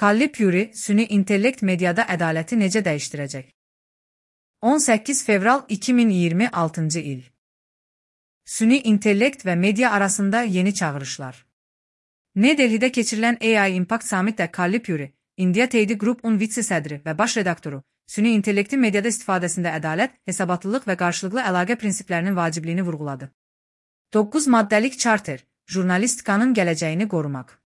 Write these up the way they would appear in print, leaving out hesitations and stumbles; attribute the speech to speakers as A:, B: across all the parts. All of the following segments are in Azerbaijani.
A: Kalli Puri, süni intellekt mediada ədaləti necə dəyişdirəcək? 18 fevral 2026 il. Süni intellekt və media arasında yeni çağırışlar. New Delhi'də keçirilən AI Impact Summit'də Kalli Puri, India Today Group'un vitse-sədri və baş redaktoru, süni intellektin mediada istifadəsində ədalət, hesabatlılıq və qarşılıqlı əlaqə prinsiplərinin vacibliyini vurğuladı. 9 maddəlik charter, jurnalistikanın gələcəyini qorumaq.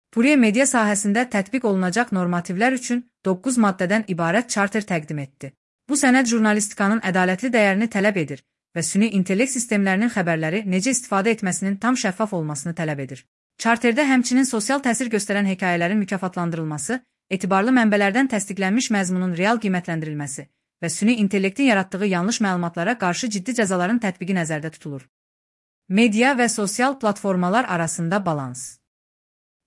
A: Puri media sahəsində tətbiq olunacaq normativlər üçün 9 maddədən ibarət charter təqdim etdi. Bu sənəd jurnalistikanın ədalətli dəyərini tələb edir və süni intellekt sistemlərinin xəbərləri necə istifadə etməsinin tam şəffaf olmasını tələb edir. Charterdə həmçinin sosial təsir göstərən hekayələrin mükafatlandırılması, etibarlı mənbələrdən təsdiqlənmiş məzmunun real qiymətləndirilməsi və süni intellektin yaratdığı yanlış məlumatlara qarşı ciddi cəzaların tətbiqi nəzərdə tutulur. Media və sosial platformalar arasında balans.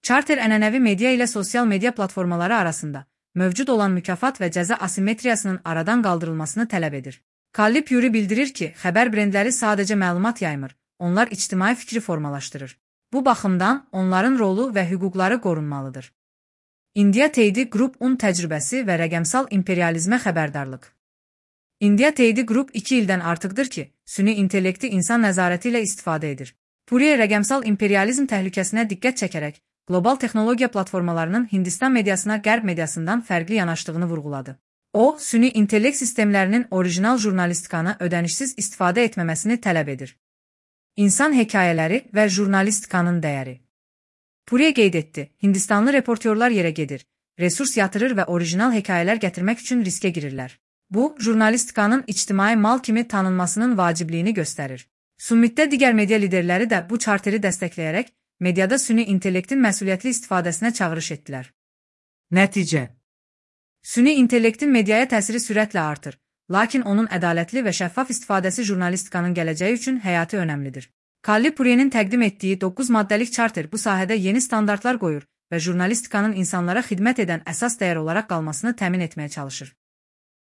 A: Charter ənənəvi media ilə sosial media platformaları arasında mövcud olan mükafat və cəza asimetriyasının aradan qaldırılmasını tələb edir. Kalli Puri bildirir ki, xəbər brendləri sadəcə məlumat yaymır, onlar ictimai fikri formalaşdırır. Bu baxımdan onların rolu və hüquqları qorunmalıdır. India Today Group'un təcrübəsi və rəqəmsal imperializmə xəbərdarlıq. India Today Group 2 ildən artıqdır ki, süni intellekti insan nəzarəti ilə istifadə edir. Puri rəqəmsal imperializm təhlükəsinə diqqət çəkərək, qlobal texnologiya platformalarının Hindistan mediasına qərb mediasından fərqli yanaşdığını vurğuladı. O, süni intellekt sistemlərinin orijinal jurnalistikanı ödənişsiz istifadə etməməsini tələb edir. İnsan hekayələri və jurnalistikanın dəyəri. Puri qeyd etdi, Hindistanlı reportyorlar yerə gedir, resurs yatırır və orijinal hekayələr gətirmək üçün riskə girirlər. Bu, jurnalistikanın ictimai mal kimi tanınmasının vacibliyini göstərir. Summitdə digər media liderləri də bu charteri dəstəkləyərək, mediada süni intellektin məsuliyyətli istifadəsinə çağırış etdilər.
B: Nəticə.
A: Süni intellektin mediaya təsiri sürətlə artır, lakin onun ədalətli və şəffaf istifadəsi jurnalistikanın gələcəyi üçün həyati önəmlidir. Kalli Puri'nin təqdim etdiyi 9 maddəlik charter bu sahədə yeni standartlar qoyur və jurnalistikanın insanlara xidmət edən əsas dəyər olaraq qalmasını təmin etməyə çalışır.